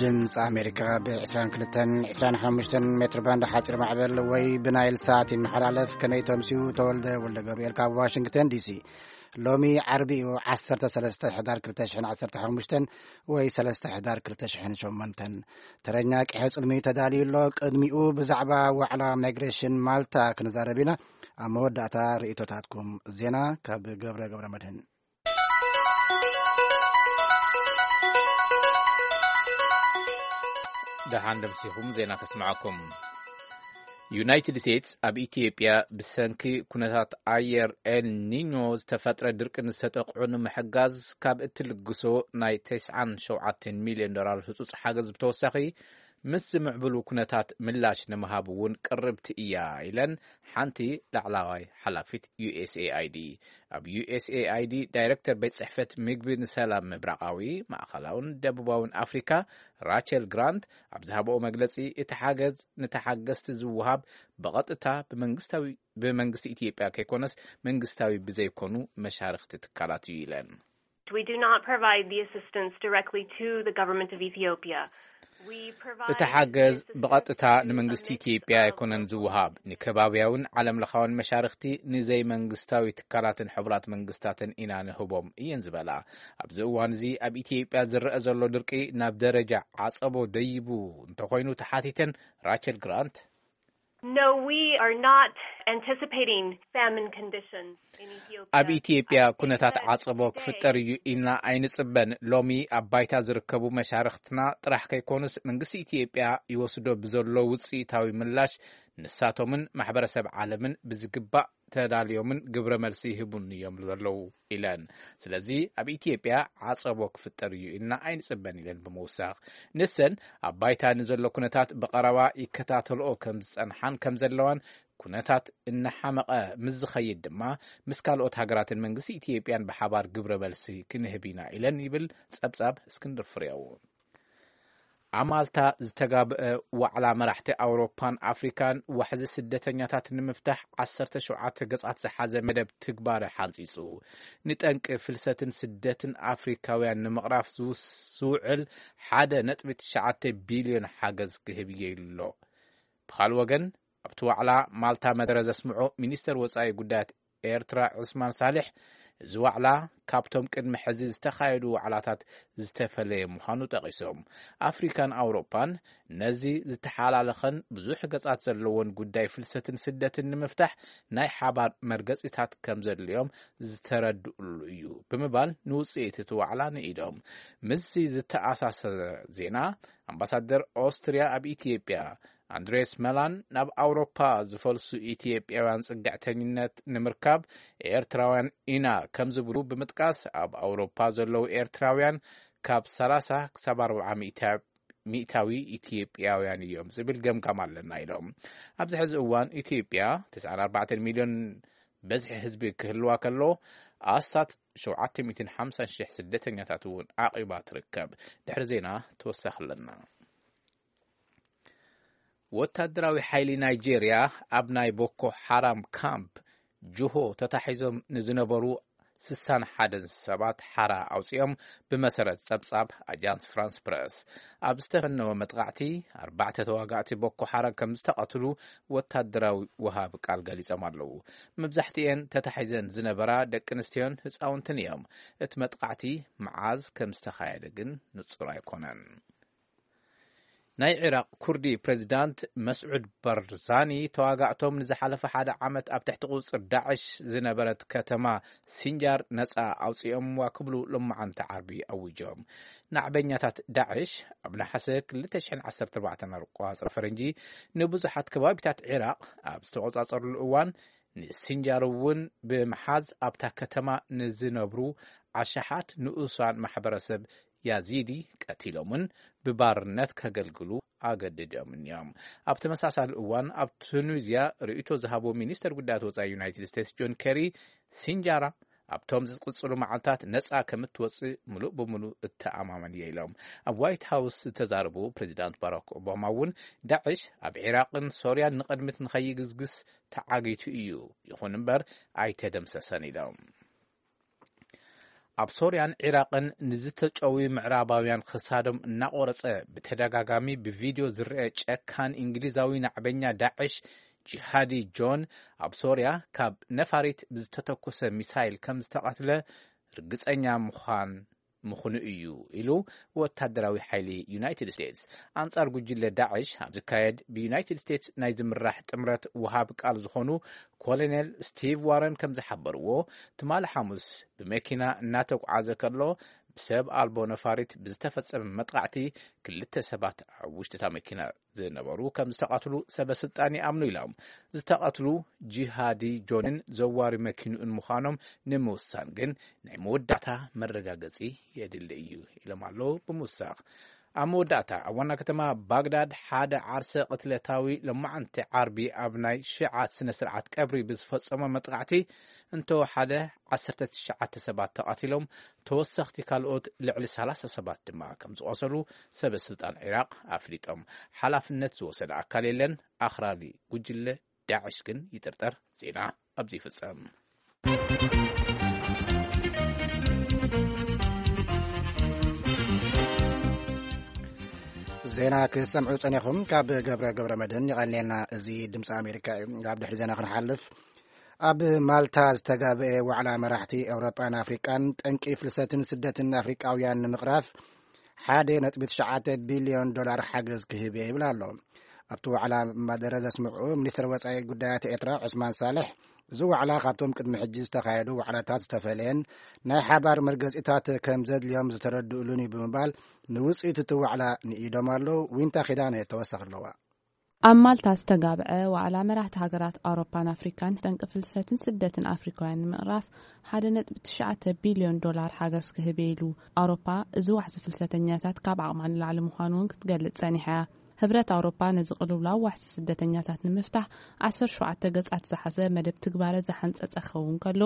ድምፂ ኣሜሪካ ብ22፣ 25 ሜትር ባንድ ሓፂር ማዕበል ወይ ብናይል ሳት ይመሓላለፍ። ከመይ ተምስዩ? ተወልደ ወልደ ገብርኤል ካብ ዋሽንግተን ዲሲ። ሎሚ ዓርቢ እዩ፣ 13 ሕዳር 2015 ወይ 3 ሕዳር 2008። ተረኛ ቅሐ ጽልሚ ተዳልዩ ኣሎ። ቅድሚኡ ብዛዕባ ዋዕላ ማይግሬሽን ማልታ ክንዛረብ ኢና። ኣብ መወዳእታ ርእይቶታትኩም። ዜና ካብ ገብረ ገብረ መድህን። ደሓን ደምሲኹም ዜና ከስምዓኩም። ዩናይትድ ስቴትስ ኣብ ኢትዮጵያ ብሰንኪ ኩነታት ኣየር ኤል ኒኞ ዝተፈጥረ ድርቂ ንዝተጠቕዑ ንምሕጋዝ ካብ እትልግሶ ናይ 97 ሚልዮን ዶላር ህጹጽ ሓገዝ ብተወሳኺ፣ ምስ ዝምዕብሉ ኩነታት ምላሽ ንምሃብ እውን ቅርብቲ እያ ኢለን ሓንቲ ላዕላዋይ ሓላፊት ዩ ኤስ ኤ ኣይ ዲ። ኣብ ዩ ኤስ ኤ ኣይ ዲ ዳይሬክተር ቤት ጽሕፈት ምግቢ ንሰላም ምብራቓዊ፣ ማእኸላውን ደቡባውን ኣፍሪካ ራቸል ግራንት ኣብ ዝሃብኦ መግለጺ፣ እቲ ሓገዝ ንተሓገዝቲ ዝወሃብ ብቐጥታ ብመንግስታዊ፣ ብመንግስቲ ኢትዮጵያ ከይኮነስ መንግስታዊ ብዘይኮኑ መሻርኽቲ ትካላት እዩ ኢለን። We do not provide the assistance directly to the government of Ethiopia. We provide እቲ ሓገዝ assistance ብቐጥታ to ንመንግስቲ ኢትዮጵያ ኣይኮነን ዝወሃብ። ንከባብያውን ዓለም ለኻውን መሻርኽቲ ንዘይመንግስታዊ ትካላትን ሕቡራት መንግስታትን ኢና ንህቦም እየን ዝበላ። ኣብዚ እዋን እዚ ኣብ ኢትዮጵያ ዝረአ ዘሎ ድርቂ ናብ ደረጃ ዓጸቦ ደይቡ እንተኾይኑ ተሓቲተን ራቸል ግራንት፣ No, we are not anticipating famine conditions in Ethiopia. ኣብ ኢትዮጵያ ኩነታት ዓጸቦ ክፍጠር እዩ ኢልና ኣይንጽበን። ሎሚ ኣብ ባይታ ዝርከቡ መሻርኽትና ጥራሕ ከይኮኑስ መንግስቲ ኢትዮጵያ ይወስዶ ብዘሎ ውጽኢታዊ ምላሽ ንሳቶምን ማሕበረሰብ ዓለምን ብዝግባእ ተዳልዮምን ግብረ መልሲ ይህቡን እዮም ዘለዉ ኢለን። ስለዚ ኣብ ኢትዮጵያ ዓጸቦ ክፍጠር እዩ ኢልና ኣይንጽበን ኢለን ብምውሳኽ፣ ንሰን ኣብ ባይታ ንዘሎ ኩነታት ብቐረባ ይከታተልኦ ከም ዝጸንሓን ከም ዘለዋን፣ ኩነታት እናሓመቐ ምስ ዝኸይድ ድማ ምስ ካልኦት ሃገራትን መንግስቲ ኢትዮጵያን ብሓባር ግብረ መልሲ ክንህብ ኢና ኢለን ይብል ጸብጻብ እስክንድር ፍሬው። ኣብ ማልታ ዝተጋብአ ዋዕላ መራሕቲ ኣውሮፓን ኣፍሪካን ዋሕዚ ስደተኛታት ንምፍታሕ 17 ገጻት ዝሓዘ መደብ ትግባረ ሓንጺጹ። ንጠንቂ ፍልሰትን ስደትን ኣፍሪካውያን ንምቕራፍ ዝውስ-፣ ዝውዕል 1.9 ቢልዮን ሓገዝ ክህብ እየ ኢሉ ኣሎ። ብኻልእ ወገን፣ ኣብቲ ዋዕላ ማልታ መደረ ዘስምዖ ሚኒስተር ወጻኢ ጉዳያት ኤርትራ ዑስማን ሳልሕ፣ እዚ ዋዕላ ካብቶም ቅድሚ ሕዚ ዝተኻየዱ ዋዕላታት ዝተፈለየ ምዃኑ ጠቒሶም፣ ኣፍሪካን ኣውሮፓን ነዚ ዝተሓላለኸን ብዙሕ ገጻት ዘለዎን ጉዳይ ፍልሰትን ስደትን ንምፍታሕ ናይ ሓባር መርገጺታት ከም ዘድልዮም ዝተረድኡሉ እዩ ብምባል ንውጽኢት እቲ ዋዕላ ንኢዶም። ምስዚ ዝተኣሳሰረ ዜና፣ ኣምባሳደር ኦስትርያ ኣብ ኢትዮጵያ ኣንድሬስ መላን፣ ናብ ኣውሮፓ ዝፈልሱ ኢትዮጵያውያን ጽግዕተኝነት ንምርካብ ኤርትራውያን ኢና ከም ዝብሉ ብምጥቃስ፣ ኣብ ኣውሮፓ ዘለዉ ኤርትራውያን ካብ 30 ክሳብ 40 ሚእታ-፣ ሚእታዊ ኢትዮጵያውያን እዮም ዝብል ገምጋም ኣለና ኢሎም። ኣብዚ ሕዚ እዋን ኢትዮጵያ 94 ሚልዮን በዝሒ ህዝቢ ክህልዋ ከሎ፣ ኣስታት 750,000 ስደተኛታት እውን ዓቂባ ትርከብ። ድሕሪ ዜና ተወሳኺ ኣለና። ወታደራዊ ሓይሊ ናይጄርያ ኣብ ናይ ቦኮ ሓራም ካምፕ ጁሆ ተታሒዞም ንዝነበሩ 61 ሰባት ሓራ ኣውፂኦም፣ ብመሰረት ጸብጻብ ኣጃንስ ፍራንስ ፕረስ። ኣብ ዝተፈነወ መጥቓዕቲ፣ ኣርባዕተ ተዋጋእቲ ቦኮ ሓራም ከም ዝተቐትሉ ወታደራዊ ወሃብ ቃል ገሊጾም ኣለዉ። መብዛሕትኤን ተታሒዘን ዝነበራ ደቂ ኣንስትዮን ህፃውንትን እዮም። እቲ መጥቓዕቲ መዓዝ ከም ዝተኻየደ ግን ንጹር ኣይኮነን። ናይ ዒራቕ ኩርዲ ፕሬዚዳንት መስዑድ ባርዛኒ፣ ተዋጋእቶም ንዝሓለፈ ሓደ ዓመት ኣብ ትሕቲ ቁጽጽር ዳዕሽ ዝነበረት ከተማ ሲንጃር ነጻ ኣውጺኦምዋ ክብሉ ሎማዓንቲ ዓርቢ ኣዊጆም። ናዕበኛታት ዳዕሽ ኣብ ነሓሰ 2014 ኣቆጻጽራ ፈረንጂ ንብዙሓት ከባቢታት ዒራቕ ኣብ ዝተቆጻጸሩሉ እዋን፣ ንሲንጃር እውን ብምሓዝ ኣብታ ከተማ ንዝነብሩ ኣሽሓት ንኡሳን ማሕበረሰብ ያዚዲ ቀቲሎምን ብባርነት ከገልግሉ ኣገድዶምን እዮም። ኣብ ተመሳሳሊ እዋን ኣብ ቱኒዝያ ርእይቶ ዝሃቦ ሚኒስተር ጉዳያት ወጻኢ ዩናይትድ ስቴትስ ጆን ኬሪ፣ ሲንጃራ ኣብቶም ዝቕጽሉ መዓልታት ነጻ ከም እትወጽእ ምሉእ ብምሉእ እተኣማመን እየ ኢሎም። ኣብ ዋይት ሃውስ ዝተዛረቡ ፕሬዚዳንት ባራክ ኦባማ እውን ዳዕሽ ኣብ ዒራቕን ሶርያን ንቕድሚት ንኸይግስግስ ተዓጊቱ እዩ፣ ይኹን እምበር ኣይተደምሰሰን ኢሎም። ኣብ ሶርያን ዒራቕን ንዝተጨውዩ ምዕራባውያን ክሳዶም እናቖረጸ ብተደጋጋሚ ብቪድዮ ዝረአ ጨካን እንግሊዛዊ ናዕበኛ ዳዕሽ ጂሃዲ ጆን፣ ኣብ ሶርያ ካብ ነፋሪት ብዝተተኮሰ ሚሳይል ከም ዝተቐትለ ርግጸኛ ምዃን ምኽኑ እዩ ኢሉ ወታደራዊ ሓይሊ ዩናይትድ ስቴትስ። ኣንጻር ጉጅለ ዳዕሽ ኣብ ዝካየድ ብዩናይትድ ስቴትስ ናይ ዝምራሕ ጥምረት ወሃብ ቃል ዝኾኑ ኮሎኔል ስቲቭ ዋረን ከም ዝሓበርዎ፣ ትማሊ ሓሙስ ብመኪና እናተጓዓዘ ከሎ ብሰብ ኣልቦ ነፋሪት ብዝተፈጸመ መጥቃዕቲ ክልተ ሰባት ኣብ ውሽጢ እታ መኪና ዝነበሩ ከም ዝተቐትሉ ሰበ ስልጣን ይኣምኑ ኢሎም። ዝተቐትሉ ጂሃዲ ጆንን ዘዋሪ መኪንኡን ምዃኖም ንምውሳን ግን ናይ መወዳእታ መረጋገጺ የድሊ እዩ ኢሎም ኣለዉ ብምውሳኽ። ኣብ መወዳእታ ኣብ ዋና ከተማ ባግዳድ ሓደ ዓርሰ ቅትለታዊ ሎማዓንቲ ዓርቢ ኣብ ናይ ሽዓት ስነ ስርዓት ቀብሪ ብዝፈጸሞ መጥቃዕቲ እንተወሓደ ዓሰርተ ትሽዓተ ሰባት ተቐቲሎም፣ ተወሰኽቲ ካልኦት ልዕሊ ሰላሳ ሰባት ድማ ከም ዝቖሰሉ ሰበ ስልጣን ዒራቕ ኣፍሊጦም። ሓላፍነት ዝወሰደ ኣካል የለን። ኣኽራሪ ጉጅለ ዳዕሽ ግን ይጥርጠር። ዜና ኣብዚ ይፍጸም። ዜና ክትሰምዑ ጸኒኹም ካብ ገብረ ገብረ መድህን ይቐንየልና። እዚ ድምፂ ኣሜሪካ እዩ። ኣብ ድሕሪ ዜና ክንሓልፍ፣ ኣብ ማልታ ዝተጋብአ ዋዕላ መራሕቲ ኤውሮጳን ኣፍሪቃን ጠንቂ ፍልሰትን ስደትን ኣፍሪቃውያን ንምቕራፍ ሓደ ነጥቢ ትሽዓተ ቢልዮን ዶላር ሓገዝ ክህብ እየ ይብል ኣሎ። ኣብቲ ዋዕላ መደረ ዘስምዑ ሚኒስትር ወጻኢ ጉዳያት ኤርትራ ዑስማን ሳልሕ፣ እዚ ዋዕላ ካብቶም ቅድሚ ሕጂ ዝተኻየዱ ዋዕላታት ዝተፈለየን ናይ ሓባር መርገጺታት ከም ዘድልዮም ዝተረድእሉን እዩ ብምባል ንውጽኢት እቲ ዋዕላ ንኢዶም ኣለዉ። ዊንታ ኪዳነ ተወሳኺ ኣለዋ። ኣብ ማልታ ዝተጋብዐ ዋዕላ መራሕቲ ሃገራት ኣውሮፓን ኣፍሪካን ጠንቂ ፍልሰትን ስደትን ኣፍሪካውያን ንምቕራፍ ሓደ ነጥቢ ትሽዓተ ቢልዮን ዶላር ሓገዝ ክህብ ኢሉ። ኣውሮፓ እዚ ዋሕዚ ፍልሰተኛታት ካብ ዓቕማ ንላዕሊ ምዃኑ እውን ክትገልጽ ጸኒሓ እያ። ህብረት ኣውሮፓ ነዚ ቅልውላው ዋሕዚ ስደተኛታት ንምፍታሕ ዓሰርተ ሸውዓተ ገጻት ዝሓዘ መደብ ትግባረ ዝሓንጸጸ ክኸውን ከሎ፣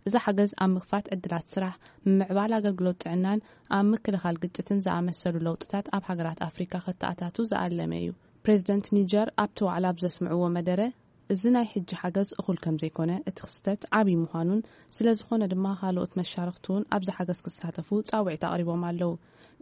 እዚ ሓገዝ ኣብ ምኽፋት ዕድላት ስራሕ፣ ምምዕባል ኣገልግሎት ጥዕናን ኣብ ምክልኻል ግጭትን ዝኣመሰሉ ለውጥታት ኣብ ሃገራት ኣፍሪካ ከተኣታቱ ዝኣለመ እዩ። ፕሬዚደንት ኒጀር ኣብቲ ዋዕላ ኣብ ዘስምዕዎ መደረ፣ እዚ ናይ ሕጂ ሓገዝ እኹል ከም ዘይኮነ፣ እቲ ክስተት ዓብዪ ምዃኑን ስለ ዝኾነ ድማ ካልኦት መሻርኽቲ እውን ኣብዚ ሓገዝ ክሳተፉ ጻውዒት ኣቕሪቦም ኣለዉ።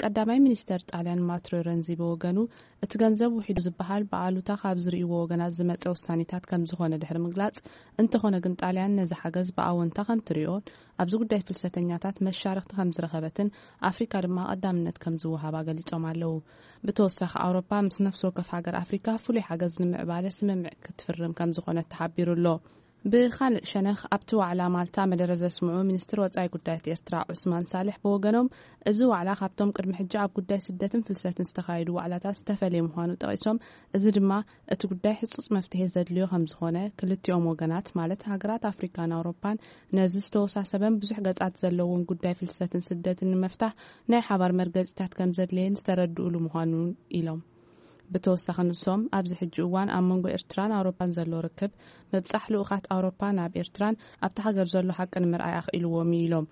ቀዳማይ ሚኒስተር ጣልያን ማትሮ ረንዚ ብወገኑ፣ እቲ ገንዘብ ውሒዱ ዝበሃል ብኣሉታ ካብ ዝርእይዎ ወገናት ዝመጸ ውሳኔታት ከም ዝኾነ ድሕሪ ምግላጽ፣ እንተኾነ ግን ጣልያን ነዚ ሓገዝ ብኣወንታ ከም ትርእዮን ኣብዚ ጉዳይ ፍልሰተኛታት መሻርኽቲ ከም ዝረኸበትን ኣፍሪካ ድማ ቀዳምነት ከም ዝወሃባ ገሊጾም ኣለዉ። ብተወሳኺ ኣውሮፓ ምስ ነፍሲ ወከፍ ሃገር ኣፍሪካ ፍሉይ ሓገዝ ንምዕባለ ስምምዕ ክትፍርም ከም ዝኾነት ተሓቢሩ ኣሎ። ብኻልእ ሸነኽ ኣብቲ ዋዕላ ማልታ መደረ ዘስምዑ ሚኒስትር ወጻኢ ጉዳያት ኤርትራ ዑስማን ሳልሕ ብወገኖም፣ እዚ ዋዕላ ካብቶም ቅድሚ ሕጂ ኣብ ጉዳይ ስደትን ፍልሰትን ዝተኻየዱ ዋዕላታት ዝተፈለየ ምዃኑ ጠቒሶም፣ እዚ ድማ እቲ ጉዳይ ህጹጽ መፍትሒ ዘድልዮ ከም ዝኾነ ክልቲኦም ወገናት ማለት ሃገራት ኣፍሪካን ኣውሮፓን ነዚ ዝተወሳሰበን ብዙሕ ገጻት ዘለዎን ጉዳይ ፍልሰትን ስደትን ንምፍታሕ ናይ ሓባር መርገጺታት ከም ዘድለየን ዝተረድኡሉ ምዃኑ ኢሎም። ብተወሳኺ ንሶም ኣብዚ ሕጂ እዋን ኣብ መንጎ ኤርትራን ኣውሮፓን ዘሎ ርክብ ምብጻሕ ልኡኻት ኣውሮፓ ናብ ኤርትራን ኣብቲ ሃገር ዘሎ ሓቂ ንምርኣይ ኣኽኢልዎም እዩ ኢሎም።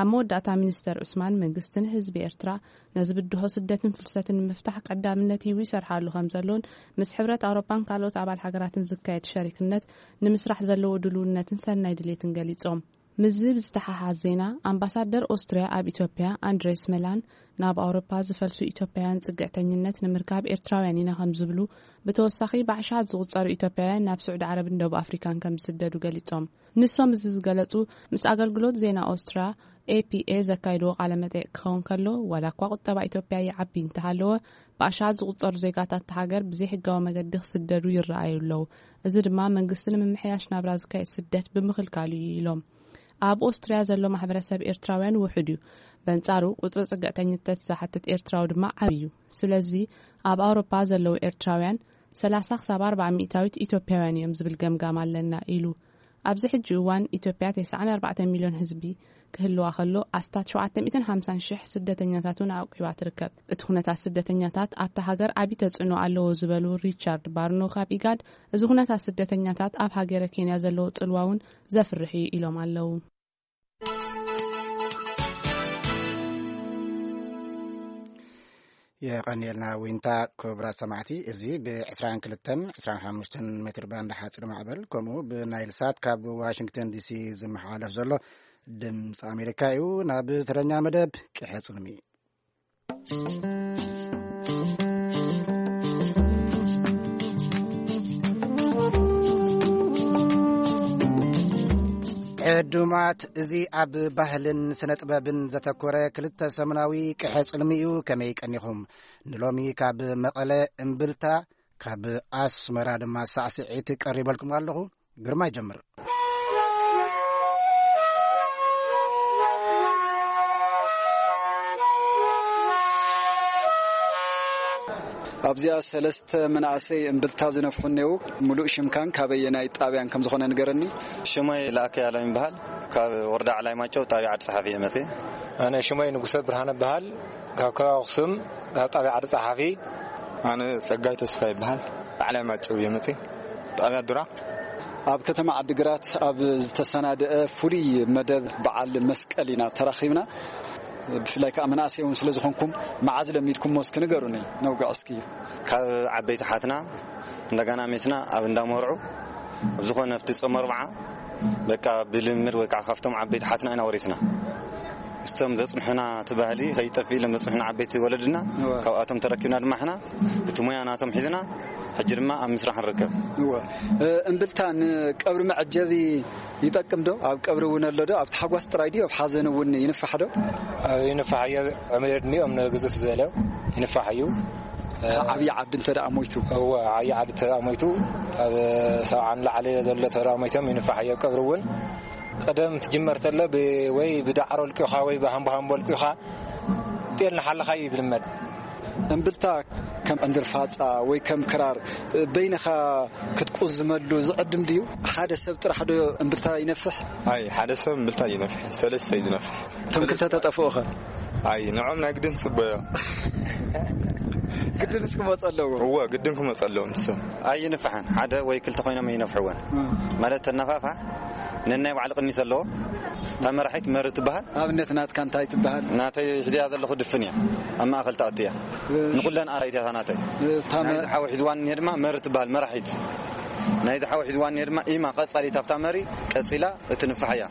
ኣብ መወዳእታ ሚኒስተር ዑስማን መንግስትን ህዝቢ ኤርትራ ነዚ ብድሆ ስደትን ፍልሰትን ንምፍታሕ ቀዳምነት ሂቡ ይሰርሓሉ ከም ዘሎን ምስ ሕብረት ኣውሮፓን ካልኦት ኣባል ሃገራትን ዝካየድ ሸሪክነት ንምስራሕ ዘለዎ ድልውነትን ሰናይ ድሌትን ገሊጾም። ምስዚ ብዝተሓሓዝ ዜና ኣምባሳደር ኦስትርያ ኣብ ኢትዮጵያ ኣንድሬስ መላን ናብ ኣውሮፓ ዝፈልሱ ኢትዮጵያውያን ጽግዕተኝነት ንምርካብ ኤርትራውያን ኢና ከም ዝብሉ፣ ብተወሳኺ ብኣሽሓት ዝቑጸሩ ኢትዮጵያውያን ናብ ስዑዲ ዓረብን ደቡብ ኣፍሪካን ከም ዝስደዱ ገሊጾም። ንሶም እዚ ዝገለጹ ምስ ኣገልግሎት ዜና ኦስትርያ ኤፒኤ ዘካይድዎ ቃለ መጠይቅ ክኸውን ከሎ፣ ዋላ እኳ ቁጠባ ኢትዮጵያ ይዓቢ እንተሃለወ፣ ብኣሽሓት ዝቑጸሩ ዜጋታት እታ ሃገር ብዘይሕጋዊ መገዲ ክስደዱ ይረኣዩ ኣለዉ። እዚ ድማ መንግስቲ ንምምሕያሽ ናብራ ዝካየድ ስደት ብምኽልካሉ እዩ ኢሎም። ኣብ ኦስትርያ ዘሎ ማሕበረሰብ ኤርትራውያን ውሑድ እዩ። በንጻሩ ቁጽሪ ጽግዕተኝነት ዝሓትት ኤርትራዊ ድማ ዓቢ እዩ። ስለዚ ኣብ ኣውሮፓ ዘለዉ ኤርትራውያን ሰላሳ ክሳብ ኣርባዓ ሚእታዊት ኢትዮጵያውያን እዮም ዝብል ገምጋም ኣለና ኢሉ። ኣብዚ ሕጂ እዋን ኢትዮጵያ ተስዓን ኣርባዕተን ሚልዮን ህዝቢ ክህልዋ ከሎ፣ ኣስታት ሸውዓተ ሚእትን ሓምሳን ሽሕ ስደተኛታት እውን ኣዕቂባ ትርከብ። እቲ ኩነታት ስደተኛታት ኣብታ ሃገር ዓቢ ተጽዕኖ ኣለዎ ዝበሉ ሪቻርድ ባርኖ ካብ ኢጋድ፣ እዚ ኩነታት ስደተኛታት ኣብ ሃገረ ኬንያ ዘለዎ ጽልዋ እውን ዘፍርሕ እዩ ኢሎም ኣለዉ። የቐንየልና ዊንታ። ክቡራት ሰማዕቲ፣ እዚ ብ22፣ 25 ሜትር ባንድ ሓፂር ማዕበል ከምኡ ብናይል ሳት ካብ ዋሽንግተን ዲሲ ዝመሓላለፍ ዘሎ ድምፂ ኣሜሪካ እዩ። ናብ ትረኛ መደብ ቅሐ ጽልሚ። ዕዱማት፣ እዚ ኣብ ባህልን ስነ ጥበብን ዘተኮረ ክልተ ሰሙናዊ ቅሐ ጽልሚ እዩ። ከመይ ቀኒኹም? ንሎሚ ካብ መቐለ እምብልታ፣ ካብ ኣስመራ ድማ ሳዕስዒት ቀሪበልኩም ኣለኹ። ግርማ ይጀምር። ኣብዚኣ ሰለስተ መናእሰይ እምብልታ ዝነፍሑ እኔዉ። ሙሉእ ሽምካን ካበየናይ ጣብያን ከም ዝኾነ ንገረኒ። ሽመይ ለኣከ ያለም ይበሃል። ካብ ወረዳ ዓላይ ማጨው ጣብያ ዓዲ ጸሓፊ እየ መፅየ። ኣነ ሽመይ ንጉሰ ብርሃነ በሃል። ካብ ከባቢ ኣኽሱም፣ ካብ ጣብያ ዓዲ ጸሓፊ። ኣነ ጸጋይ ተስፋ ይበሃል። ዓላይ ማጨው እየ መፅየ። ጣብያ ዱራ። ኣብ ከተማ ዓዲግራት ኣብ ዝተሰናደአ ፍሉይ መደብ በዓል መስቀል ኢና ተራኺብና። ብፍላይ ከዓ መናእሰይ እውን ስለ ዝኾንኩም፣ መዓዝ ለሚድኩሞ እስኪ ንገሩኒ፣ ነውግዕ እስኪ። ካብ ዓበይቲ ሓትና እንደገና ሜስና ኣብ እንዳመርዑ፣ ኣብ ዝኾነ ኣብቲ ጾም ኣርብዓ፣ በቃ ብልምድ ወይ ከዓ ካብቶም ዓበይቲ ሓትና ኢና ወሪስና። እቶም ዘጽንሑና፣ እቲ ባህሊ ከይጠፍእ ኢሎም ዘጽንሑና ዓበይቲ ወለድና፣ እወ። ካብኣቶም ተረኪብና ድማ ሕና እቲ ሞያ ናቶም ሒዝና፣ ሕጂ ድማ ኣብ ምስራሕ ንርከብ። እወ። እ፣ እምብልታ ንቀብሪ መዐጀቢ ይጠቅም ዶ? ኣብ ቀብሪ እውን ኣሎ ዶ? ኣብ ታሕጓስ ጥራይ ድዩ? ኣብ ሓዘን እውን ይንፋሕ ዶ? ኣብ ይንፋሕ እዩ። ዕድሚኦም ንግዝፍ ዝበለ ይንፋሕ እዩ። ዓብዪ ዓዲ እንተ ደኣ ሞይቱ? እወ፣ ዓብዪ ዓዲ እንተ ደኣ ሞይቱ፣ ካብ ሰብዓ ንላዕሊ ዘሎ እንተ ደኣ ሞይቶም ይንፋሕ እዩ። ኣብ ቀብሪ እውን ቀደም ትጅመር ተሎ ብ-፣ ወይ ብዳዕሮ ልቂኻ ወይ ብሃምቦ ሃምቦ ልቂኻ ጤል ንሓለኻ እዩ ዝልመድ። እምብልታ ከም ዕንድር ፋጻ ወይ ከም ክራር በይንኻ ክትቁዝመሉ ዝዕድም ድዩ? ሓደ ሰብ ጥራሕ ዶ እምብልታ ይነፍሕ? ኣይ፣ ሓደ ሰብ እምብልታ ይነፍሕ፣ ሰለስተ እዩ ዝነፍሕ። እቶም ክልተ ተጠፍኡ ኸ? ኣይ፣ ንዖም ናይ ግድን ጽቡቕ እዮም። ግድን እስኪ ክመጹ ኣለዎ። እወ፣ ግድን ክመጹ ኣለዎም ንሶም። ኣይንፍሕን፣ ሓደ ወይ ክልተ ኮይኖም ኣይነፍሕወን። እም። ማለት ተነፋፋሕ ነናይ ባዕሉ ቅኒት ኣለዎ። እታ መራሒት መሪ ትበሃል። ኣብነት ናትካ እንታይ ትበሃል? ናተይ ሒዝያ ዘለኹ ድፍን እያ። ኣብ ማእከል ትኣቱ እያ። እ- ንኹለን ኣራይት እያ እታ ናተይ። እታ መ- ናይዚ ሓዊ ሒዝዋን እኒሄ ድማ መሪ ትበሃል፣ መራሒት። ናይዚ ሓዊ ሒዝዋን እኒሄ ድማ ኢማ ቀጻሊት ኣብታ መሪ ቀጺላ እትንፋሕ እያ።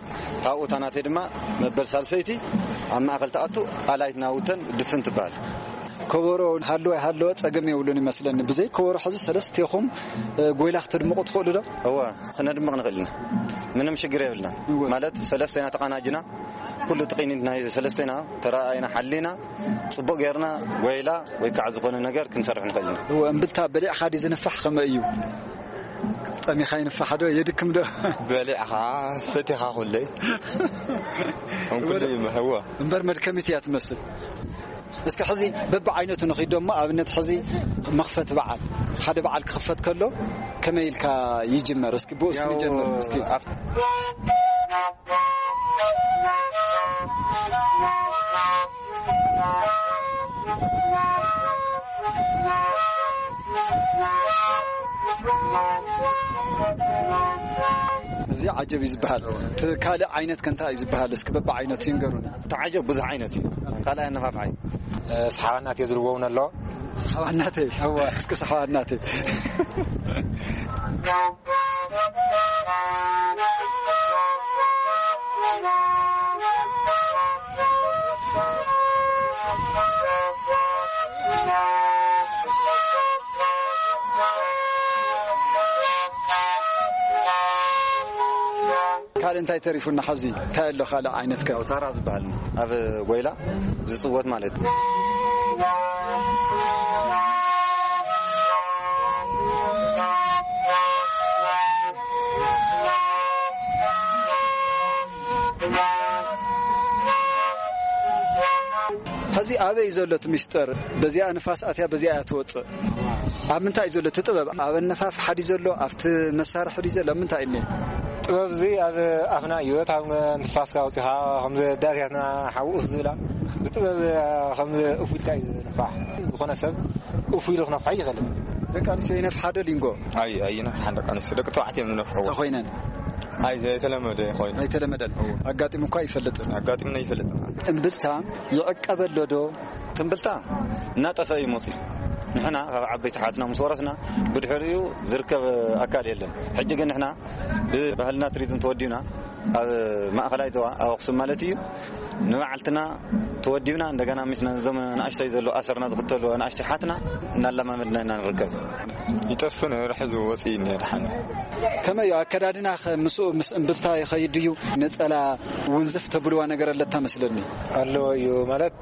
ካብኡ እታ ናተይ ድማ መበል ሳልሰይቲ ኣብ ማእከል ትኣቱ፣ ኣላይት ናውተን ድፍን ትበሃል። ከበሮ ሃለወ ኣይሃለወ ጸገም የብሉን ይመስለኒ። ብዘይ ከበሮ ሕዚ ሰለስቴኹም፣ እ፣ ጎይላ ክትድምቑ ትኽእሉ ዶ? እወ፣ ክነድምቕ ንኽእል ኢና። ምንም ሽግር የብልና። እወ። ማለት ሰለስቴና ተቐናጅና፣ ኩሉ ትቕኒት ናይ ሰለስቴና ተረኣኢና ሓሊና፣ ጽቡቕ ጌርና ጎይላ ወይ ከዓ ዝኾነ ነገር ክንሰርሕ ንኽእል ኢና። እወ፣ እምብልታ በሊዕኻ ድዩ ዝንፋሕ ከመይ እዩ? ጠሚኻ ይንፋሕ ዶ? የድክም ዶ? በሊዕኻ ሰቲኻ ኩለይ። እም ኩሉ ይመ-፣ እወ። እምበር መድከሚት እያ ትመስል። እስኪ ሕዚ በብዓይነቱ ንኺድ ዶ እሞ፣ ኣብነት ሕዚ መኽፈቲ በዓል፣ ሓደ በዓል ክኽፈት ከሎ ከመይ ኢልካ ይጅመር? እስኪ ብኡ እስኪ ያው ንጀምር እስኪ። ኣብቲ እዚ ዓጀብ እዩ ዝበሃል። እቲ ካልእ ዓይነት ከ እንታይ እዩ ዝበሃል? እስኪ በብዓይነቱ ይንገሩና። እቲ ዓጀብ ብዙሕ ዓይነት እዩ። ካልኣይ ኣነፋፍሓ እዩ። እ፣ ሰሓባናት እየ ዝልዎ እውን ኣሎ። ሰሓባናተይ። እወ። እስኪ ሰሓባናተይ። ካልእ እንታይ ተሪፉና? ሓዚ እንታይ ኣሎ ካልእ ዓይነት ከ? ያው ታራ ዝበሃል ኣብ ጎይላ ዝጽወት ማለት እዩ። ሕዚ ኣበይ እዩ ዘሎ እቲ ሚስጥር? በዚኣ ንፋስ ኣትያ፣ በዚኣ እያ ትወጽእ። ኣብ ምንታይ እዩ ዘሎ እቲ ጥበብ? ኣብ ኣነፋፍሓ ድዩ ዘሎ? ኣብቲ መሳርሒ ድዩ ዘሎ? ኣብ ምንታይ እዩ እኒአ? ጥበብ እዚ ኣብ ኣፍና እዩ። እታ ንፋስካ ኣውጺኻ ከምዚ ዳርያትና ሓውኡ ዝብላ ብጥበብ ከምዚ እፉ ኢልካ እዩ ዝንፋሕ። ዝኾነ ሰብ እፉ ኢሉ ክነፍሖ ኣይኽእልን። ደቂ ኣንስትዮ ይነፍሓ ዶ ሊንጎ? ኣይ፣ ኣይነፍሓን ደቂ ኣንስትዮ። ደቂ ተባዕትዮ እዮም ዝነፍሕዎ። ተኾይነን? ኣይ፣ ዘይተለመደ ኮይኑ። ኣይተለመደን? እዎ። ኣጋጢሙ እኳ ኣይፈልጥን? ኣጋጢሙና ኣይፈልጥን። እምብልታ ይዕቀብ ኣሎ ዶ? ትምብልታ እናጠፈ እዩ መፅዩ። ንሕና ካብ ዓበይቲ ሓትና ምስ ወረስና ብድሕሪኡ ዝርከብ ኣካል የለን። ሕጂ ግን ንሕና ብባህልና ቱሪዝም ተወዲና ኣብ ማእኸላይ ዞባ ኣብ ኣኽሱም ማለት እዩ። ንባዕልትና ተወዲብና እንደገና ምስ ነዞም ንኣሽቶይ ዘሎ ኣሰርና ዝኽተሉ ንኣሽቶይ ሓትና እናለማመድና ኢና ንርከብ። ይጠፍእ ነይሩ፣ ሕዚ ወፂኡ እኒሀ ድሓን። ከመይ እዩ ኣከዳድና ኸ ምስኡ ምስ እምብልታ ይኸይድ እዩ? ነፀላ ውንዝፍ ተብልዋ ነገር ኣለታ መስለኒ። ኣለዎ እዩ ማለት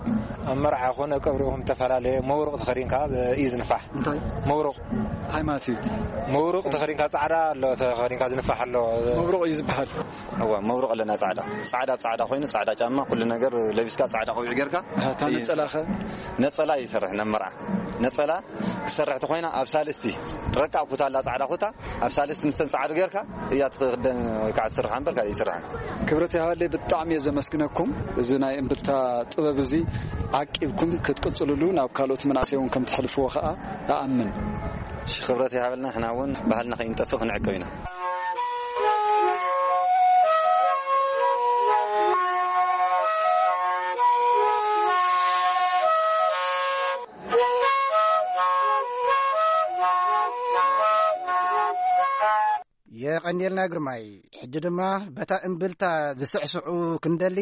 ኣብ መርዓ ኮነ ቀብሪ ይኹን ዝተፈላለየ መውርቕ ተኸዲንካ እዩ ዝንፋሕ። እንታይ? መውርቕ። እንታይ ማለት እዩ? መውርቕ ተኸዲንካ ፃዕዳ ኣሎ ተኸዲንካ ዝንፋሕ ኣሎ። መብሩቕ እዩ ዝበሃል። እዋ መብሩቕ ኣለና ፃዕዳ። ፃዕዳ ብ ፃዕዳ ኮይኑ ፃዕዳ ጫማ ኩሉ ነገር ለቢስካ ፃዕዳ ቆቢዕ ጌርካ። ኣሃ፣ እታ እዩ ነፀላ ኸ? ነፀላ ይሰርሕ ናብ መርዓ። ነፀላ ክሰርሕ ተኾይና ኣብ ሳልስቲ ረቃ ኩታ ኣላ ፃዕዳ ኩታ ኣብ ሳልስቲ ምስተን ፃዕዱ ጌርካ እያ ትኽደን ወይ ከዓ ትስርሓ እምበር ካልእ ይስርሓን። ክብረት ይሃበለይ፣ ብጣዕሚ እየ ዘመስግነኩም። እዚ ናይ እምብልታ ጥበብ እዚ ዓቂብኩም ክትቅጽልሉ ናብ ካልኦት መናእሰይ እውን ከም ትሕልፍዎ ኸኣ እኣምን። እሺ፣ ክብረት ይሃበልና። ንሕና እውን ባህልና ከይንጠፍእ ክንዕቅብ ኢና። የቐንየልና ግርማይ። ሕጂ ድማ በታ እምብልታ ዝስዕስዑ ክንደሊ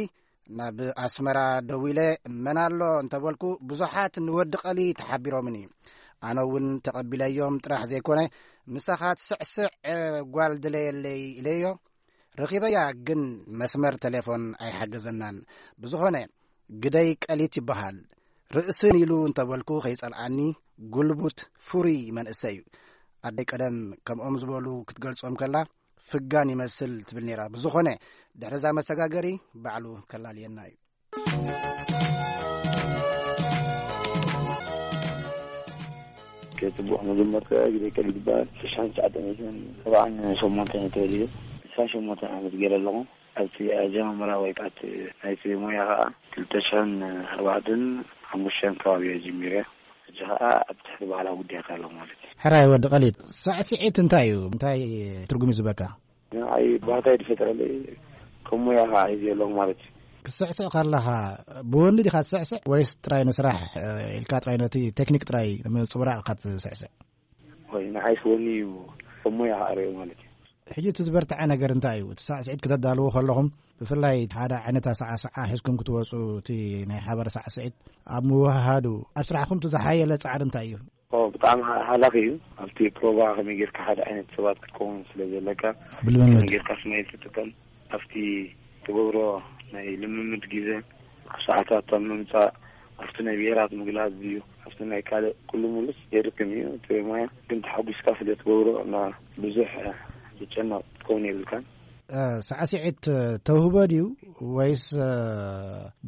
ናብ ኣስመራ ደዊለ መን ኣሎ እንተበልኩ ብዙሓት ንወዲ ቀሊ ተሓቢሮምኒ። ኣነ እውን ተቐቢለዮም ጥራሕ ዘይኮነ ምሳኻ ትስዕስዕ ጓል ድለየለይ ኢለዮ። ረኺበያ ግን መስመር ቴሌፎን ኣይሓገዘናን። ብዝኾነ ግደይ ቀሊት ይበሃል። ርእስን ኢሉ እንተበልኩ ከይጸልኣኒ ጉልቡት ፍሩይ መንእሰይ እዩ። ኣደይ ቀደም ከምኦም ዝበሉ ክትገልጾም ከላ ፍጋን ይመስል ትብል ነይራ። ብዝኾነ ድሕሪ እዛ መሰጋገሪ ባዕሉ ከላልየና እዩ። ጽቡቕ መጀመርታ ግደይ ቀሊት ይበሃል። ሽሕን ትሽዓተ ሚእትን ሰብዓን ሸሞንተን ተወሊደ። ዕስራን ሸሞንተን ዓመት ገይረ ኣለኹ። ኣብቲ ኣጀማምራ ወይ ከዓ እቲ ናይቲ ሞያ ከዓ ክልተ ሽሕን ኣርባዕተን ሓሙሽተን ከባቢ እየ ጀሚረ። ሕጂ ከዓ ኣብ ትሕቲ ባህላዊ ጉዳያት ኣለኹ ማለት እዩ። ሕራይ ወዲ ቀሊት፣ ሳዕስዒት እንታይ እዩ? እንታይ ትርጉም እዩ ዝበካ? ንዓይ ባህታ እዩ ዝፈጥረለይ። ከም ሞያ ከዓ ሒዘ ኣለኹ ማለት እዩ። ክትስዕስዕ ከለኻ ብወኒ ዲኻ ትስዕስዕ ወይስ ጥራይ ንስራሕ፣ እ፣ ኢልካ ጥራይ ነቲ ቴክኒክ ጥራይ ንምጽብራቕ ኢኻ ትስዕስዕ? ወይ ንዓይስ ወኒ እዩ፣ እሞ ይሃረዮ ማለት እዩ። ሕጂ እቲ ዝበርትዐ ነገር እንታይ እዩ? እቲ ሳዕስዒት ከተዳልዉ ከለኹም ብፍላይ ሓደ ዓይነት ኣሰዓስዓ ሒዝኩም ክትወፁ፣ እቲ ናይ ሓባር ሳዕስዒት ኣብ ምውህሃዱ ኣብ ስራሕኩም እቲ ዝሓየለ ጻዕሪ እንታይ እዩ? ኦ፣ ብጣዕሚ ሃ-፣ ሃላኺ እዩ። ኣብቲ ፕሮቫ ከመይ ጌርካ ሓደ ዓይነት ሰባት ክትከውን ስለ ዘለካ፣ ብልምምድ። ከመይ ጌርካ ስማይል ትጥቀም፣ ኣብቲ ትገብሮ ናይ ልምምድ ግዜ፣ ኣብ ሰዓታት ኣብ ምምጻእ፣ ኣብቲ ናይ ብሄራት ምግላጽ እዩ፣ ኣብቲ ናይ ካልእ ኩሉ ሙሉስ የድክም እዩ። እቲ ሞያ ግን ተሓጒስካ ስለ ትገብሮ እና ብዙሕ ዝጨነቕ ክትከውን የብልካን። እ፣ ሳዕስዒት ተውህቦ ድዩ ወይስ፣ እ፣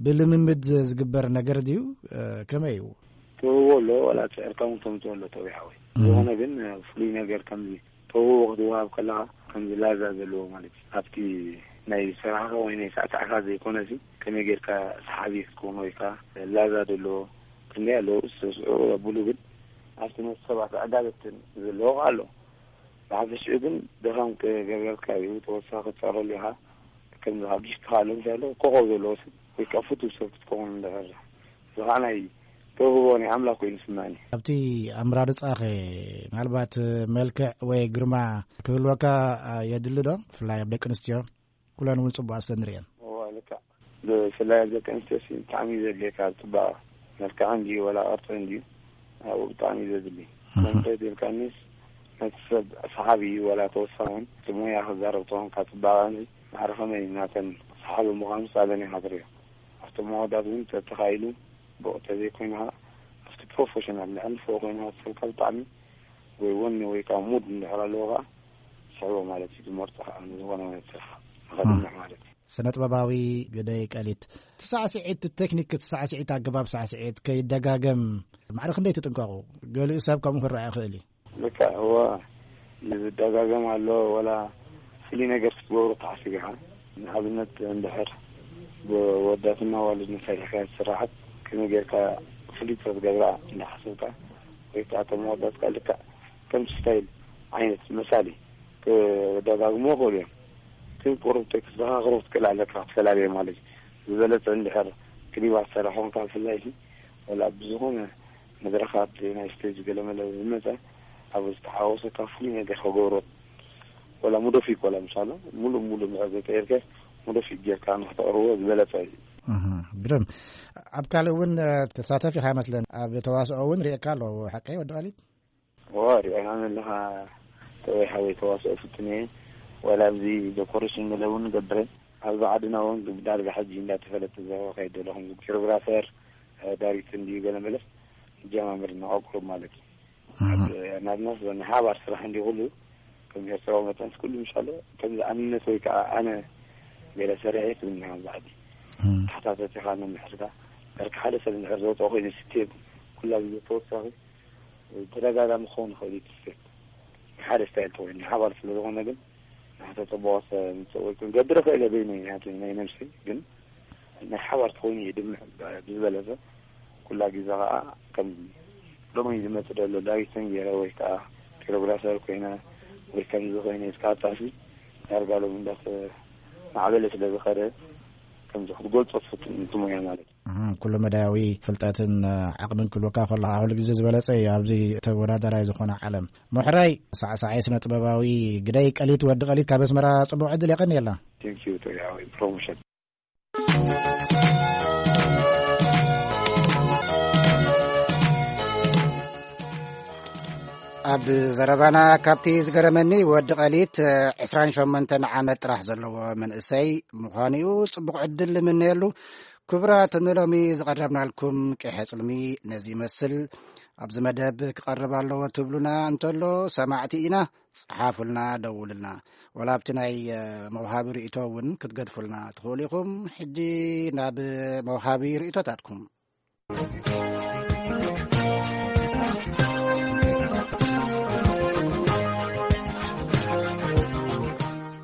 ብልምምድ ዝግበር ነገር ድዩ? እ፣ ከመይ እዩ? ተውህቦ ኣሎ፣ ዋላ ጽዕርካ እውን ተምጽኦ ኣሎ ተዊሓ ወይ። እም። ዝኾነ ግን፣ እ፣ ፍሉይ ነገር ከምዚ ተውህቦ ክትወሃብ ከለኻ ከምዚ ላዛ ዘለዎ ማለት እዩ። ኣብቲ ናይ ስራሕኻ ወይ ናይ ሳዕሳዕካ ዘይኮነሲ ከመይ ጌርካ ሰሓቢ ክትከውን ወይ ከዓ ላዛ ዘለዎ ክንደይ ኣለዉ ዝተስዑ የብሉ፣ ግን ኣብቲ ነቲ ሰባት ዕጋበትን ዘለዎ ኣሎ። ብሓፈሽኡ ግን ድኻም ክገብረልካ እዩ፣ ተወሳኺ ክትጸረሉ ኢኻ። ከምዚ ካብ ጊፍትኻ ኣሎ እንታይ ኣሎ ኮኾብ ዘለዎ ሰብ ወይ ከዓ ፍቱው ሰብ ክትከውን እንደፈራ። እዚ ከዓ ናይ ተውህቦ ናይ ኣምላኽ ኮይኑ ይስምዓኒ። ኣብቲ ኣመራርጻኸ ምናልባት መልክዕ ወይ ግርማ ክህልወካ የድሊ ዶ? ብፍላይ ኣብ ደቂ ኣንስትዮ ኩለን እውን ጽቡቓት ስለ ንርእየን። እዋ፣ ልክዕ። ብፍላይ ኣብ ደቂ ኣንስትዮ ሲ ብጣዕሚ እዩ ዘድልየካ፣ ኣብ ጽባቐ። መልክዓ እንድዩ ወላ ቅርጺ እንድዩ ኣብኡ ብጣዕሚ እዩ ዘድሊ። እህ። መንፈስ ኢልካኒስ ነቲ ሰብ ሰሓቢ እዩ፣ ወላ ተወሳኺ እውን እቲ ሞያ ክዛረብ ተኾንካ ጽባቐ እንዲ ማዕረ ከመይ ናተን ሰሓቢ ምዃኑ ሳለን ኢኻ ትርእዮ። ኣብቶም ኣወዳት እውን ተተኻኢሉ ብቑ ተዘይኮይንካ ኣብቲ ፕሮፌሽናል ልዕሊ ፎ ኮይንካ ትፈልካ ብጣዕሚ ወይ ወኒ ወይ ከዓ ሙድ እንድሕር ኣለዎ ከዓ ስሕቦ ማለት እዩ። ዝመርጾ ከዓ ንዝኾነ ዓይነት ስራሕ ንኸድምዕ ማለት እዩ። ስነ ጥበባዊ ግደይ ቀሊት፣ እቲ ሳዕስዒት፣ እቲ ቴክኒክ፣ እቲ ሳዕስዒት፣ ኣገባብ ሳዕስዒት ከይደጋገም ማዕረ ክንደይ ትጥንቀቑ? ገሊኡ ሰብ ከምኡ ክረኣ ይኽእል እዩ። ልክዕ፣ እወ፣ ዝደጋገም ኣሎ። ወላ ፍሉይ ነገር ክትገብሮ ትሓስብ ኢኻ። ንኣብነት እንድሕር ብወዳትና ዋልድ ንፈሪሕካ ዝስራሓት ከመይ ጌርካ ፍሉይ ክትገብራ እንዳሓሰብካ ወይ ከዓ እቶም ወዳትካ ልክዕ ከምቲ ስታይል ዓይነት መሳሊ ክደጋግሞ ይኽእሉ እዮም። ግን ቁሩብ ተዘኻኽሮ ክትክእል ኣለካ ክትፈላልዮ ማለት እዩ። ዝበለጸ እንድሕር ክሊባት ሰራሕ ኮንካ ብፍላይ ሲ፣ ወላ ኣብ ዝኾነ መድረኻት ናይ ስቴጅ ገለመለ ዝመጸ ኣብ ዝተሓወሰካ ፍሉይ ነገር ክገብሮ ወላ ሙዶፊክ ወላ ምሳሎ ሙሉእ ሙሉእ ምዕዘ ተይርከ ሙዶፊክ ጌርካ ንክተቕርቦ ዝበለጸ እዩ። እህ፣ ግርም። ኣብ ካልእ እውን፣ እ፣ ተሳተፍ ኢኻ ይመስለን። ኣብ ተዋስኦ እውን ርእየካ ኣለኹ፣ ሓቀይ ወዲ ቃሊት? እዋ፣ ርእየና ኣለኻ። ተወይ ሓወይ ተዋስኦ ፍትን እየ። ወላ ኣብዚ ዶኮሬሽን ገለ እውን ንገብረ። ኣብዚ ዓድና እውን ዳርጋ ሕጂ እንዳተፈለጠ ዘረባ ከይድ ዘለኹም ኮሪዮግራፈር፣ እ፣ ዳይሬክተር እንድዩ ገለ መለስ ጀማምር እናቆቁሩ ማለት እዩ። እህ። ኣብ ናብናስ ናይ ሓባር ስራሕ እንዲ ኩሉ ከም ኤርትራዊ መጠን ኩሉ ምሻሎ ከም ዝኣምነት ወይ ከዓ ኣነ ገለ ሰሪሐ ትብልና ኣብዚ ዓዲ። እህ። ተሓታተቲ ኢኻ ንምሕርካ። ዳርጋ ሓደ ሰብ እንድሕር ዘውፅኦ ኮይኑ ስቴፕ ኩላ ግዜ ተወሳኺ ተደጋጋሚ ክኸውን ይኽእል እዩ። ስቴፕ ሓደ ስታይል ተኮይኑ ሓባር ስለ ዝኾነ ግን ንሕቶ ፅቡቕ ምፅእ ወይ ክንገብር ይኽእል እየ በይነይ ናተይ ናይ ነብሰይ ግን ናይ ሓባር ተኮይኑ እዩ ድምዕ ብዝበለፀ ኩላ ግዜ ከዓ ከም ሎሚ ዝመፅእ ዘሎ ዳይሬክተር ገይረ ወይ ከዓ ኮሪዮግራፈር ኮይነ ወይ ከምዚ ኮይነ እስካብ ጣሲ ዳርጋ ሎሚ እንዳተማዕበለ ስለ ዝኸደ ከምዚ ክትገልፆ ትፍትን እንትሞያ ማለት እዩ። እህ፣ ኩሉ መዳያዊ ፍልጠትን፣ እ፣ ዓቕምን ክህልወካ ከሎ ከዓ ኩሉ ግዜ ዝበለጸ እዩ ኣብዚ ተወዳዳራይ ዝኾነ ዓለም። ምሕራይ ሳዕሳዓይ ስነ ጥበባዊ ግደይ ቀሊት ወዲ ቀሊት ካብ ኣስመራ ጽቡቕ ዕድል የቐንየልና። Thank you to your promotion. ኣብ ዘረባና ካብቲ ዝገረመኒ ወዲ ቀሊት ዕስራን ሸሞንተን ዓመት ጥራሕ ዘለዎ መንእሰይ ምዃኑ እዩ። ጽቡቕ ዕድል ንምነየሉ። ክቡራት ንሎሚ ዝቐረብናልኩም ቂሐ ጽልሚ ነዚ ይመስል። ኣብዚ መደብ ክቐርብ ኣለዎ ትብሉና እንተሎ ሰማዕቲ ኢና። ጸሓፉልና፣ ደውሉልና። ወላ ኣብቲ ናይ፣ እ፣ መውሃቢ ርእይቶ እውን ክትገድፉልና ትኽእሉ ኢኹም። ሕጂ ናብ መውሃቢ ርእይቶታትኩም።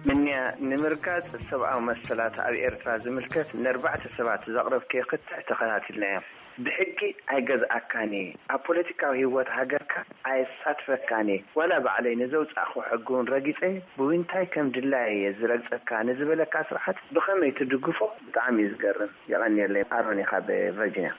ምንያ ንምርጋጽ ሰብኣዊ መሰላት ኣብ ኤርትራ ዝምልከት ንኣርባዕተ ሰባት ዘቕረብክዮ ክትዕ ተኸታቲልና እዮም። ብሕጊ ኣይገዝኣካን እየ። ኣብ ፖለቲካዊ ህይወት ሃገርካ ኣየሳትፈካን እየ። ዋላ ባዕለይ ንዘውጻእክዎ ሕጊ እውን ረጊጸ ብዊንታይ ከም ድላየ እየ ዝረግጸካ ንዝበለካ ስርዓት ብኸመይ ትድግፎ? ብጣዕሚ እዩ ዝገርም። የቐንየለይ። ኣሮን እየ ካብ ቨርጂንያ።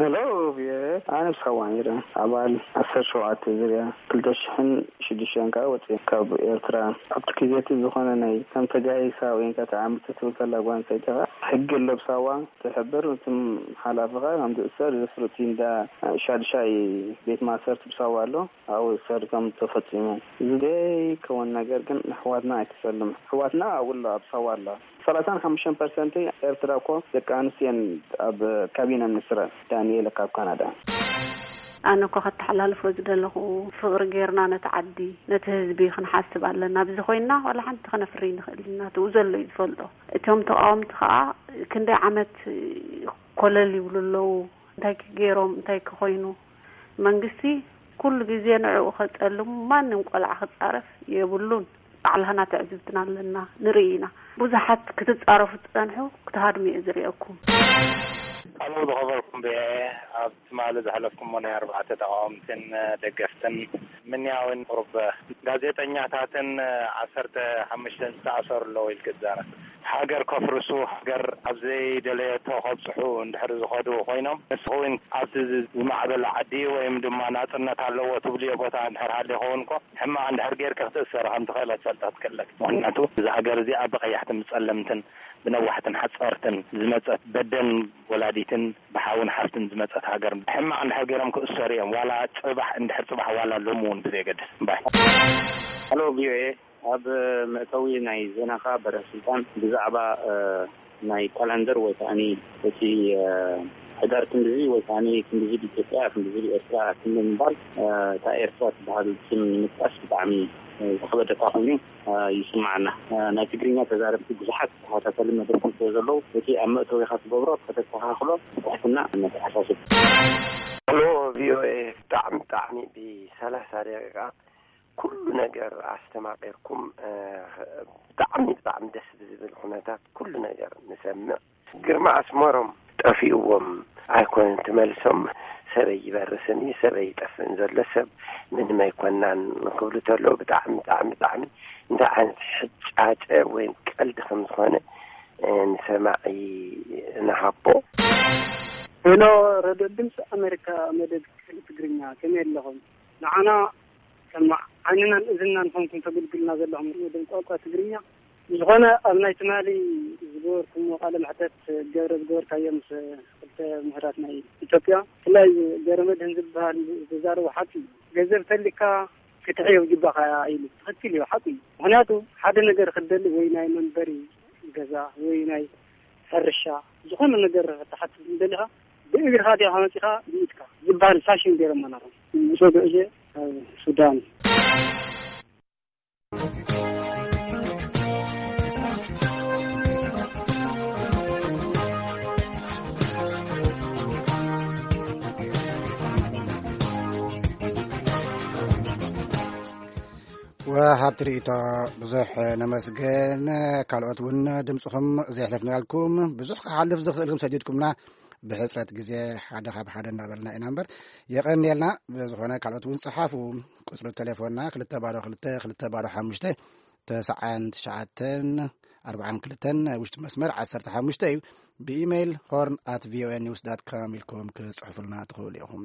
ሄሎ፣ ቪኦኤ፣ ኣነ ብሳዋ ነይረ። ኣባል ዓሰርተ ሸውዓተ ዝርያ ክልተ ሽሕን ሽዱሽተን ከኣ ወጺኤ ካብ ኤርትራ። ኣብቲ ግዜ እቲ ዝኾነ ናይ ከም ተጋሂሳ ወይ ከኣ ተዓሚጻ ትብል ከላ ጓል ኣንስተይቲ ከኣ ሕጊ ኣሎ ብሳዋ ትሕብር። እቶም ሓላፊ ከኣ ከም ዝእሰር ዘፍርጥ እዩ እንዳ ሻድሻይ ቤት ማእሰርቲ ብሳዋ ኣሎ። ኣብኡ ዝእሰር ከም ተፈጺሙ። እዚ ዘይከውን ነገር ግን ንኣሕዋትና ኣይትጸልም። ኣሕዋትና ኣብኡ ኣሎ፣ ኣብ ሳዋ ኣሎ። ሰላሳን ሓሙሽተን ፐርሰንት ኤርትራ እኮ ደቂ ኣንስትዮ እየን ኣብ ካቢነ ሚኒስትራት። ዳንኤል ካብ ካናዳ። ኣነ እኮ ከተሓላልፎ ዝደለኹ ፍቕሪ ጌርና ነቲ ዓዲ፣ ነቲ ህዝቢ ክንሓስብ ኣለና። ኣብዚ ኮይንና ዋላ ሓንቲ ከነፍሪ ንኽእል ኢና። እቲ ዘሎ እዩ ዝፈልጦ። እቶም ተቃወምቲ ከኣ ክንደይ ዓመት ኮለል ይብሉ ኣለዉ። እንታይ ክገይሮም፣ እንታይ ክኾይኑ? መንግስቲ ኩሉ ግዜ ንዕኡ ከጸልሙ ማንም ቆልዓ ክጻረፍ የብሉን። ባዕልኻና ትዕዝብትና ኣለና፣ ንርኢ ኢና። ብዙሓት ክትጻረፉ ትጸንሑ፣ ክትሃድሙ እየ ዝርእየኩም። ኣሎ ዝኸበርኩም ብሄ፣ ኣብ ትማሊ ዘሕለፍኩሞ ናይ ኣርባዕተ ተቃወምትን ደገፍትን ምንያውን ቁሩብ ጋዜጠኛታትን ዓሰርተ ሓሙሽተን ዝተኣሰሩ ኣለዉ ኢልክ ትዛረብ። ሃገር ከፍርሱ፣ ሃገር ኣብ ዘይደለየቶ ከብጽሑ እንድሕር ዝኸዱ ኮይኖም፣ ንስኹ እውን ኣብቲ ዝ-፣ ዝማዕበለ ዓዲ ወይም ድማ ናጽነት ኣለዎ ትብልዮ ቦታ እንድሕር ሃልዩ ይኸውን እኮ፣ ሕማቕ እንድሕር ጌርካ ክትእሰር ከም ትኽእል ትፈልጥ ክትክእለክ። ምኽንያቱ እዛ ሃገር እዚኣ ብቐያሕትን ብጸለምትን ብነዋሕትን ሓጸርትን ዝመጸት በደን ወላዲትን ብሓውን ሓፍትን ዝመጸት ሃገር ሕማቕ እንድሕር ገይሮም ክእሰሩ እዮም። ዋላ ጽባሕ እንድሕር ጽባሕ ዋላ ሎሚ እውን ብዘየገድስ እምባይ። ሃሎ ቪኦኤ፣ ኣብ መእተዊ ናይ ዜናኻ በረ ስልጣን ብዛዕባ፣ እ፣ ናይ ካላንደር ወይ ከኣኒ እቲ፣ እ፣ ሕዳር ክንድዚ ወይ ከኣኒ ክንድዚ ብኢትዮጵያ ክንድዚ ብኤርትራ ክንዲ ምባል፣ እ፣ እታ ኤርትራ ትበሃል ስም ንምጥቃስ ብጣዕሚ፣ እ፣ ዝኸበደካ ኮይኑ፣ እ፣ ይስማዓና። እ፣ ናይ ትግርኛ ተዛረብቲ ብዙሓት ተኸታተሊ መድረኹም ስለ ዘለዉ እቲ ኣብ መእተዊኻ ትገብሮ ከተስተኻኽሎ ብትሕትና ነተሓሳስብ። ሎ ቪኦኤ ብጣዕሚ ብጣዕሚ ብሰላሳ ደቂቃ ኩሉ ነገር ኣስተማቒርኩም፣ እ፣ ብጣዕሚ ብጣዕሚ ደስ ብዝብል ኩነታት ኩሉ ነገር ንሰምዕ። ግርማ ኣስመሮም ጠፊእዎም ኣይኮነን ትመልሶም፣ ሰበይ ይበርስን እዩ፣ ሰበይ ይጠፍእን ዘሎ ሰብ ምንም ኣይኮናን ክብሉ ተለዉ ብጣዕሚ ብጣዕሚ ብጣዕሚ እንታይ ዓይነት ሕጫጨ ወይ ቀልዲ ከም ዝኾነ፣ እ፣ ንሰማዒ ንሃቦ። ሄሎ፣ ረድዮ ድምፂ ኣሜሪካ መደብ ክፍሊ ትግርኛ፣ ከመይ ኣለኹም? ንዓና እማ ዓይንናን እዝንናን ኾንኩም ተገልግልና ዘለኹም ወደን ቋንቋ ትግርኛ። ዝኾነ ኣብ ናይ ትማሊ ዝገበርኩምዎ ቃለ መሕተት ገብረ ዝገበርካዮ ምስ ክልተ ምሁራት ናይ ኢትዮጵያ፣ ብፍላይ ገብረ መድህን ዝበሃል ዝዛረቦ ሓቂ እዩ። ገንዘብ ተልካ ክትሕዮ ይግባኻ ኢሉ ትኽክል እዩ፣ ሓቂ እዩ። ምኽንያቱ ሓደ ነገር ክትደሊ ወይ ናይ መንበሪ ገዛ ወይ ናይ ሕርሻ ዝኾነ ነገር ክትሓትት እንደሊኻ ብእግርኻ ዲኻ መፂኻ ብኢድካ ዝበሃል ፋሽን ገይሮሞ ነሮም። ምስ ወግዑ እየ ካብ ሱዳን። ወሃብቲ ርእይቶ ብዙሕ ነመስገን። ካልኦት እውን ድምፅኹም ዘየሕለፍናልኩም ብዙሕ ክሓልፍ ዝኽእል ከም ሰዲድኩምና ብሕፅረት ግዜ ሓደ ካብ ሓደ እናበልና ኢና እምበር የቐንየልና። ብዝኾነ ካልኦት እውን ፀሓፉ። ቁፅሪ ቴሌፎንና ክልተ ባዶ ክልተ ክልተ ባዶ ሓሙሽተ ተስዓን ትሽዓተን ኣርባዓን ክልተን ናይ ውሽጢ መስመር ዓሰርተ ሓሙሽተ እዩ። ብኢሜይል ሆርን ኣት ቪኦኤ ኒውስ ዳት ካም ኢልኩም ክፅሕፉልና ትኽእሉ ኢኹም።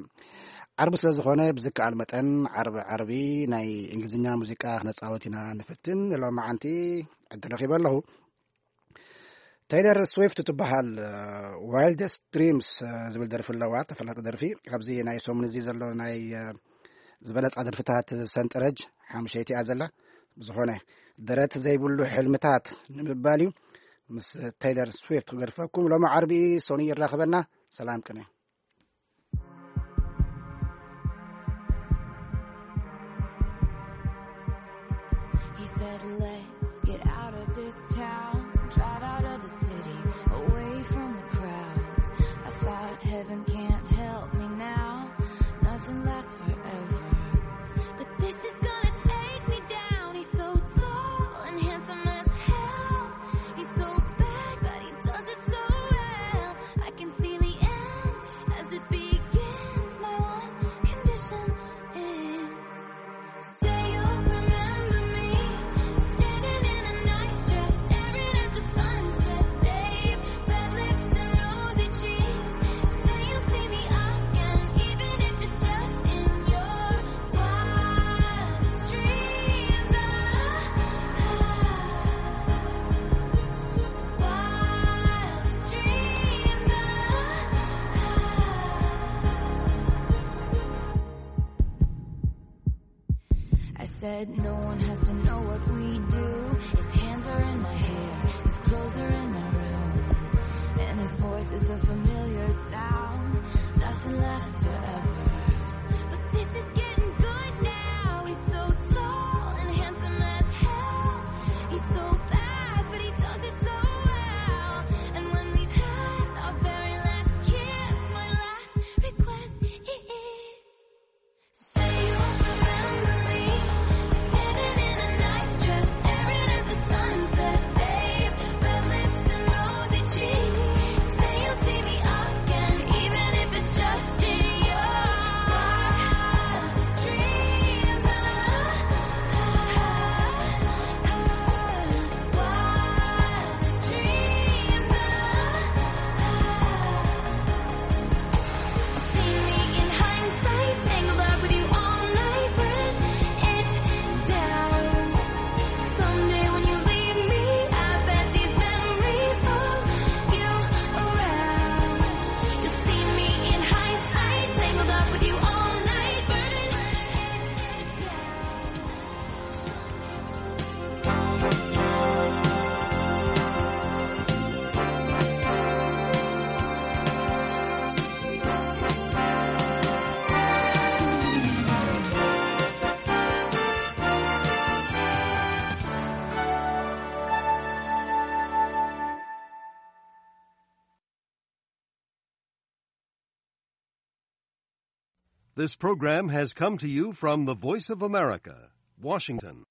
ዓርቢ ስለ ዝኾነ ብዝከኣል መጠን ዓርቢ ዓርቢ ናይ እንግሊዝኛ ሙዚቃ ክነፃወት ኢና ንፍትን። ሎማዓንቲ ዕድል ረኺበ ኣለኹ። ተይለር ስዊፍት ትበሃል ዋይልደስት ድሪምስ ዝብል ደርፊ ኣለዋ፣ ተፈላጢ ደርፊ። ኣብዚ ናይ ሰሙን እዚ ዘሎ ናይ ዝበለፃ ደርፍታት ሰንጠረጅ ሓሙሸይቲ እያ ዘላ። ብዝኾነ ደረት ዘይብሉ ሕልምታት ንምባል እዩ። ምስ ተይለር ስዊፍት ክገድፈኩም ሎሚ ዓርቢ ሶኒ ይራኸበና። ሰላም ቅነ። He said, "Let's get out of this town, drive out of the city, away from the crowds." I thought heaven can't help me now. Nothing lasts forever. But this is gonna take me down. He's so tall and handsome as hell. He's so bad, but he does it so well. I can see the end as it begins. My one condition is, say you'll remember me, standing in a nice dress, staring at the sunset, babe. Red lips and rosy cheeks. Say you'll see me again, even if it's just in your wildest dreams. Ah, ah, wildest dreams. Ah, ah. I said no one has to know what we do. His hands are in my hair, his clothes are in my room, and his voice is a familiar sound. Nothing lasts forever, but this is getting good now. He's so tall and handsome as hell. He's so bad, but he does it so well. And when we've had our very last kiss, my last request is, say you'll remember me, standing in a nice dress, staring at the sunset, babe. Red lips and rosy cheeks. Say you'll see me again, even if it's just in your wildest dreams. Ah, ah, ah, wildest dreams. Ah, ah, ah. See me in hindsight, tangled up with you all night, burn it down. Someday when you leave me, I bet these memories follow you around. You'll see me in hindsight, tangled up with you all night, burning it down. This program has come to you from the Voice of America, Washington.